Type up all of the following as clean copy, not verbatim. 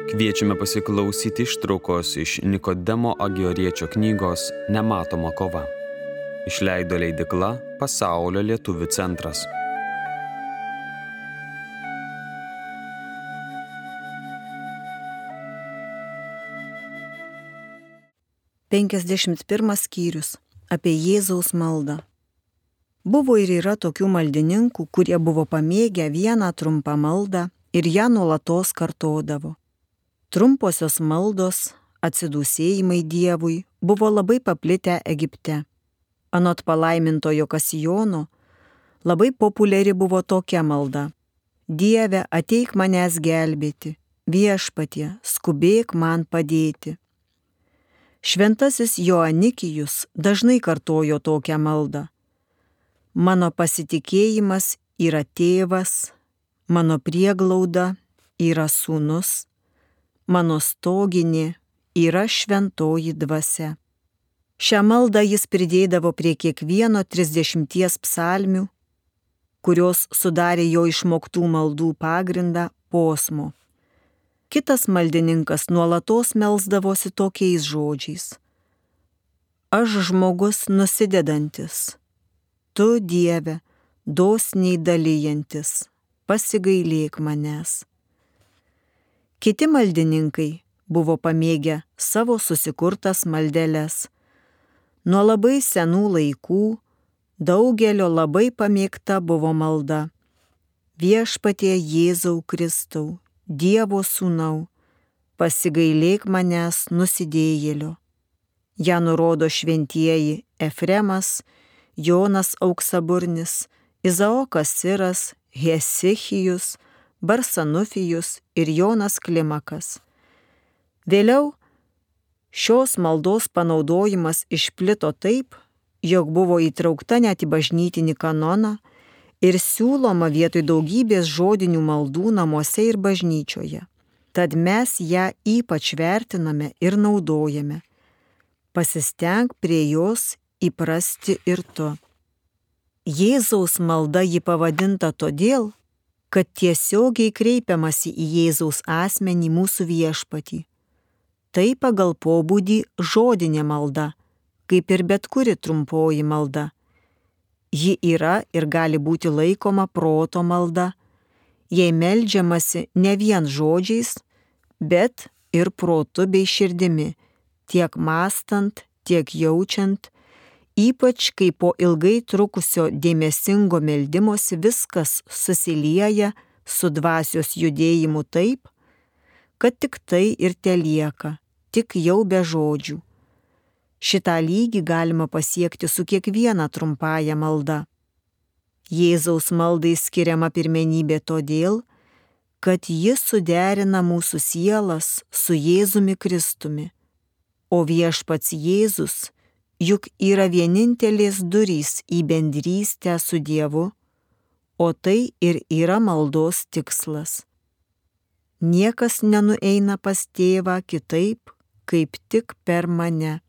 Kviečiame pasiklausyti ištraukos iš Nikodemo Agioriečio knygos Nematoma kova. Išleido leidykla Pasaulio lietuvių centras. Pirmas skyrius apie Jėzaus maldą. Buvo ir yra tokių maldininkų, kurie buvo pamėgę vieną trumpą maldą ir ją nuolatos kartodavo. Trumposios maldos, atsidūsėjimai Dievui buvo labai paplitę Egipte. Anot palaimintojo Kasijono, labai populiari buvo tokia malda: Dieve, ateik manęs gelbėti, viešpatie, skubėk man padėti. Šventasis Joanikijus dažnai kartojo tokią maldą: Mano pasitikėjimas yra tėvas, mano prieglauda yra sūnus, mano stoginė yra šventoji dvasia. Šią maldą jis pridėdavo prie kiekvieno 30 psalmių, kurios sudarė jo išmoktų maldų pagrindą posmo. Kitas maldininkas nuolatos melsdavosi tokiais žodžiais: Aš žmogus nusidedantis, tu, Dieve, dosniai dalijantis, pasigailėk manęs. Kiti maldininkai buvo pamėgę savo susikurtas maldeles. Nuo labai senų laikų daugelio labai pamėgta buvo malda: Viešpatie Jėzau Kristau, Dievo sūnau, pasigailėk manęs nusidėjėlio. Ja nurodo šventieji Efremas, Jonas Auksaburnis, Izaokas Siras, Hesichijus, Barsanufijus ir Jonas Klimakas. Vėliau šios maldos panaudojimas išplito taip, jog buvo įtraukta net į bažnytinį kanoną ir siūloma vietoj daugybės žodinių maldų namuose ir bažnyčioje. Tad mes ją ypač vertiname ir naudojame. Pasistenk prie jos įprasti ir tu. Jėzaus malda ji pavadinta todėl, kad tiesiogiai kreipiamasi į Jėzaus asmenį mūsų viešpatį. Tai pagal pobūdį žodinė malda, kaip ir bet kuri trumpoji malda. Ji yra ir gali būti laikoma proto malda, jei meldžiamasi ne vien žodžiais, bet ir protu bei širdimi, tiek mąstant, tiek jaučiant, ypač kai po ilgai trukusio dėmesingo meldimosi viskas susilieja su dvasios judėjimu taip, kad tik tai ir telieka, tik jau be žodžių. Šitą lygį galima pasiekti su kiekviena trumpąja malda. Jėzaus maldai skiriama pirmenybė todėl, kad ji suderina mūsų sielas su Jėzumi Kristumi, o viešpats Jėzus juk yra vienintelės durys į bendrystę su Dievu, o tai ir yra maldos tikslas. Niekas nenueina pas tėvą kitaip, kaip tik per mane,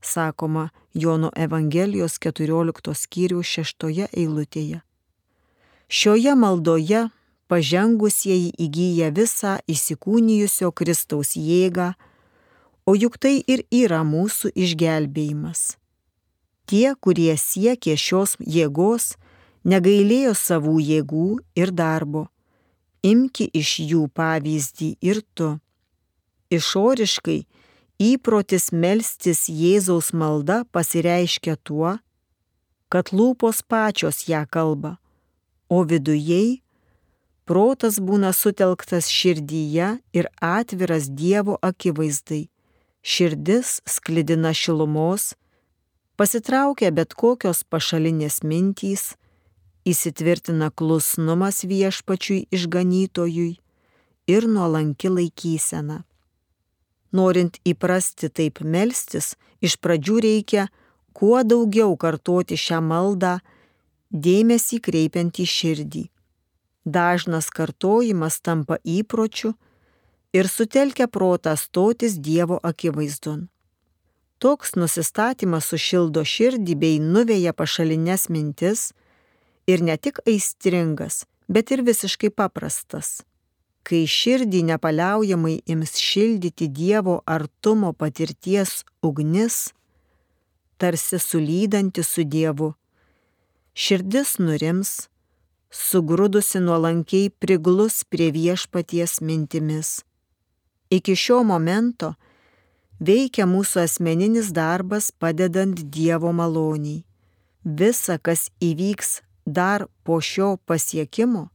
sakoma Jono Evangelijos 14 skyriaus 6 eilutėje. Šioje maldoje pažengusieji įgyja visą įsikūnijusio Kristaus jėgą, o juk tai ir yra mūsų išgelbėjimas. Tie, kurie siekė šios jėgos, negailėjo savų jėgų ir darbo. Imki iš jų pavyzdį ir tu. Išoriškai įprotis melstis Jėzaus malda pasireiškia tuo, kad lūpos pačios ją kalba, o vidujei protas būna sutelktas širdyje ir atviras Dievo akivaizdai. Širdis sklidina šilumos, pasitraukia bet kokios pašalinės mintys, įsitvirtina klusnumas viešpačiui išganytojui ir nuolanki laikysena. Norint įprasti taip melstis, iš pradžių reikia kuo daugiau kartoti šią maldą, dėmesį kreipiant į širdį. Dažnas kartojimas tampa įpročiu ir sutelkia protą stotis Dievo akivaizdon. Toks nusistatymas sušildo širdį bei nuveja pašalines mintis ir ne tik aistringas, bet ir visiškai paprastas. kai širdį nepaliaujamai ims šildyti Dievo artumo patirties ugnis, tarsi sulydanti su Dievu, širdis nurims, sugrudusi nuolankiai priglus prie Viešpaties mintimis. Iki šio momento veikia mūsų asmeninis darbas padedant Dievo maloniai. Visa, kas įvyks dar po šio pasiekimo,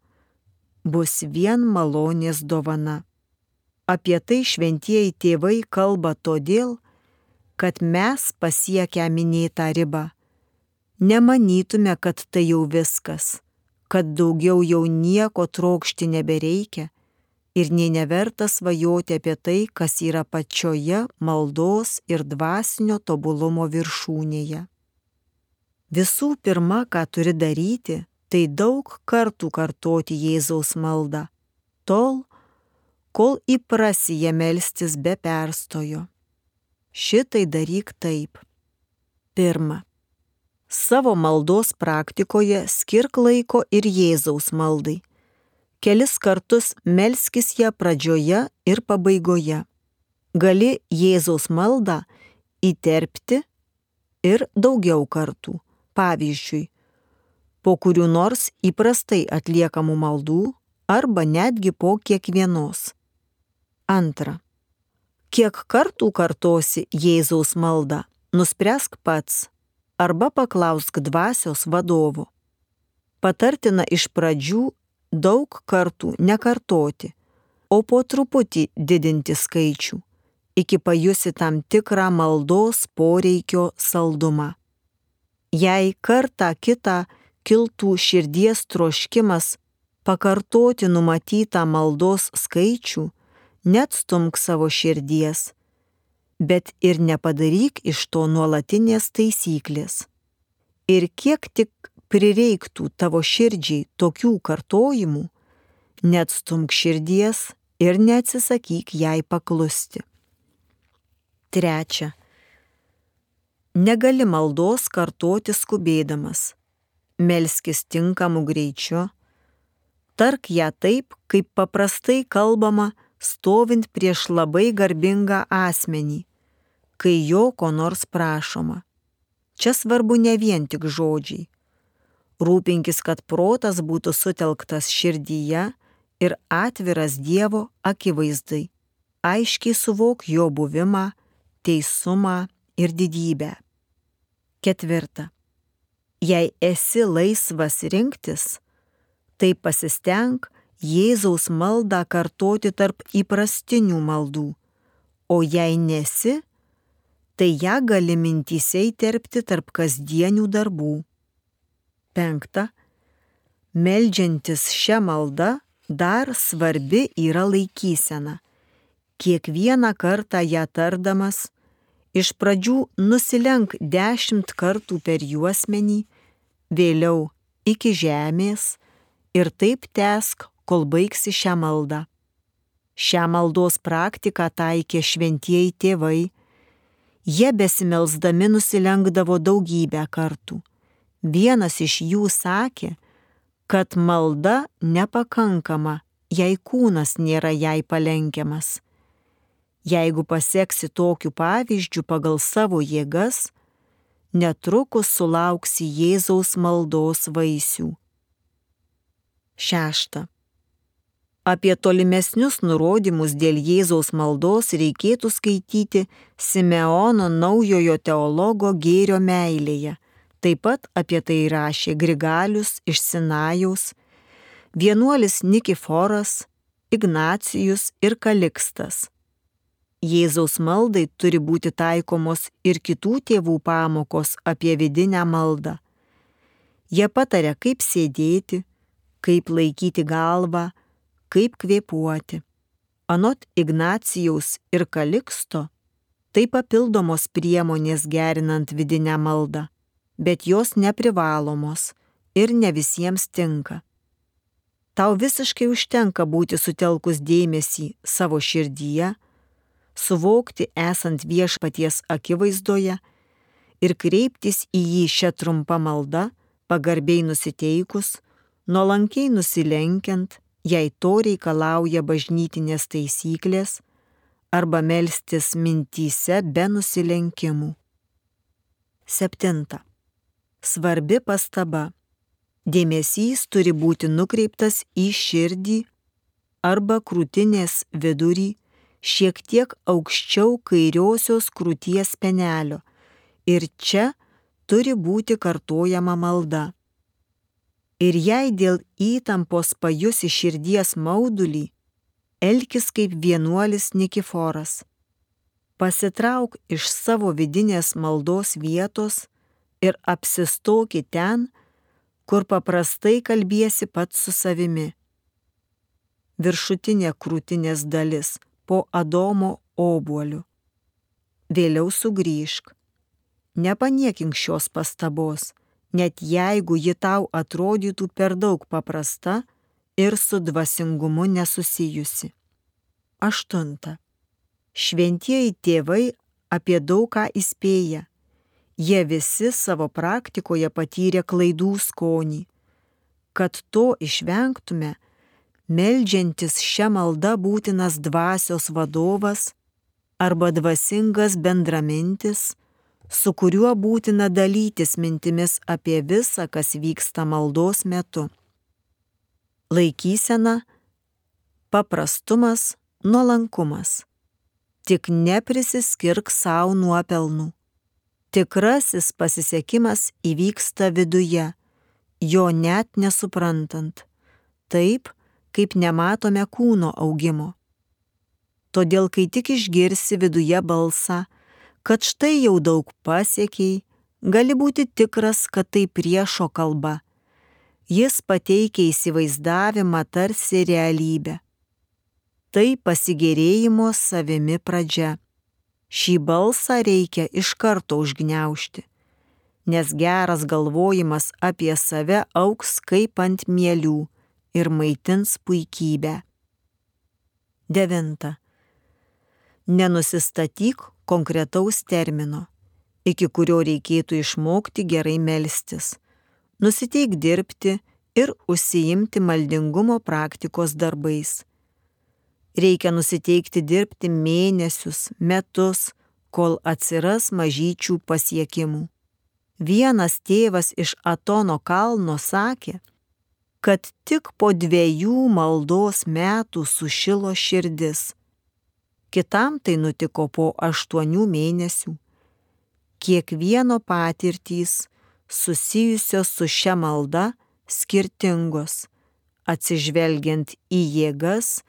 bus vien malonės dovana. Apie tai šventieji tėvai kalba todėl, kad mes pasiekę minėtą ribą, nemanytume, kad tai jau viskas, kad daugiau jau nieko trokšti nebereikia ir nė neverta svajoti apie tai, kas yra pačioje maldos ir dvasinio tobulumo viršūnėje. Visų pirma, ką turi daryti, tai daug kartų kartoti Jėzaus maldą, tol, kol įprasi ją melstis be perstojo. Šitai daryk taip. Pirma. Savo maldos praktikoje skirk laiko ir Jėzaus maldai. Kelis kartus melskis ją pradžioje ir pabaigoje. Gali Jėzaus maldą įterpti ir daugiau kartų. Pavyzdžiui, po kurių nors įprastai atliekamų maldų arba netgi po kiekvienos. Antra. Kiek kartų kartosi Jėzaus maldą, nuspręsk pats arba paklausk dvasios vadovo. Patartina iš pradžių daug kartų nekartoti, o po truputį didinti skaičių, iki pajusi tam tikrą maldos poreikio saldumą. Jei kartą kitą kiltų širdies troškimas pakartoti numatytą maldos skaičių, neatstumk savo širdies, bet ir nepadaryk iš to nuolatinės taisyklės. Ir kiek tik prireiktų tavo širdžiai tokių kartojimų, neatstumk širdies ir neatsisakyk jai paklusti. Trečia. Negali maldos kartoti skubėdamas. Melskis tinkamu greičiu. Tark ją taip, kaip paprastai kalbama, stovint prieš labai garbingą asmenį, kai jo ko nors prašoma. Čia svarbu ne vien tik žodžiai. Rūpinkis, kad protas būtų sutelktas širdyje ir atviras Dievo akivaizdai. Aiškiai suvok jo buvimą, teisumą ir didybę. Ketvirta. Jei esi laisvas rinktis, tai pasistenk Jėzaus maldą kartoti tarp įprastinių maldų, o jei nesi, tai ją gali mintyse įterpti tarp kasdienių darbų. Penkta. Meldžiantis šią maldą dar svarbi yra laikysena. Kiekvieną kartą ją tardamas, iš pradžių nusilenk 10 kartų per juosmenį, vėliau iki žemės ir taip tęsk, kol baigsi šią maldą. Šią maldos praktiką taikė šventieji tėvai. Jie besimelsdami nusilenkdavo daugybę kartų. Vienas iš jų sakė, kad malda nepakankama, jei kūnas nėra jai palenkiamas. Jeigu paseksi tokiu pavyzdžiu pagal savo jėgas, netrukus sulauksi Jėzaus maldos vaisių. Šešta. Apie tolimesnius nurodymus dėl Jėzaus maldos reikėtų skaityti Simeono naujojo teologo Gėrio meilėje. Taip pat apie tai rašė Grigalius iš Sinajaus, vienuolis Nikiforas, Ignacijus ir Kalikstas. Jėzaus maldai turi būti taikomos ir kitų tėvų pamokos apie vidinę maldą. Jie pataria, kaip sėdėti, kaip laikyti galvą, kaip kvėpuoti. Anot Ignacijaus ir Kaliksto, tai papildomos priemonės gerinant vidinę maldą, bet jos neprivalomos ir ne visiems tinka. Tau visiškai užtenka būti sutelkus dėmesį savo širdyje, suvokti esant Viešpaties akivaizdoje ir kreiptis į jį šią trumpą maldą, pagarbiai nusiteikus, nuolankiai nusilenkiant jei to reikalauja bažnytinės taisyklės, arba melstis mintyse be nusilenkimų. 7. Svarbi pastaba. Dėmesys turi būti nukreiptas į širdį arba krūtinės vidurį, šiek tiek aukščiau kairiosios krūties spenelio, ir čia turi būti kartojama malda. Ir jei dėl įtampos pajusi širdies maudulį, elkis kaip vienuolis Nikiforas. Pasitrauk iš savo vidinės maldos vietos ir apsistoki ten, kur paprastai kalbiesi pats su savimi. Viršutinė krūtinės dalis po Adomo obuoliu. Vėliau sugrįžk. Nepaniekink šios pastabos, net jeigu ji tau atrodytų per daug paprasta ir su dvasingumu nesusijusi. 8. Šventieji tėvai apie daug ką įspėja. Jie visi savo praktikoje patyrė klaidų skonį. Kad to išvengtume, meldžiantis šią maldą būtinas dvasios vadovas arba dvasingas bendramintis, su kuriuo būtina dalytis mintimis apie visą, kas vyksta maldos metu. Laikysena, paprastumas, nuolankumas. Tik neprisiskirk savo nuopelnų. Tikrasis pasisekimas įvyksta viduje, jo net nesuprantant, taip, kaip nematome kūno augimo. Todėl, kai tik išgirsi viduje balsą, kad štai jau daug pasiekiai, gali būti tikras, kad tai priešo kalba. Jis pateikia įsivaizdavimą tarsi realybę. Tai pasigėrėjimo savimi pradžia. Šį balsą reikia iš karto užgniaužti, nes geras galvojimas apie save augs kaip ant mielių ir maitins puikybę. 9. Nenusistatyk konkretaus termino, iki kurio reikėtų išmokti gerai melstis. Nusiteik dirbti ir užsiimti maldingumo praktikos darbais. Reikia nusiteikti dirbti mėnesius, metus, kol atsiras mažyčių pasiekimų. Vienas tėvas iš Atono kalno sakė, kad tik po 2 maldos metų sušilo širdis. Kitam tai nutiko po 8 mėnesių. Kiekvieno patirtys susijusios su šia malda skirtingos, atsižvelgiant į jėgas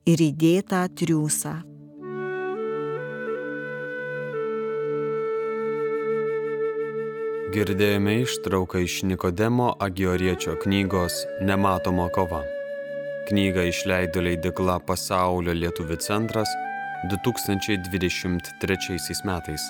ir įdėtą triūsą. Girdėjome ištrauką iš Nikodemo Agioriečio knygos Nematoma kova. Knygą išleido leidykla Pasaulio lietuvių centras 2023 metais.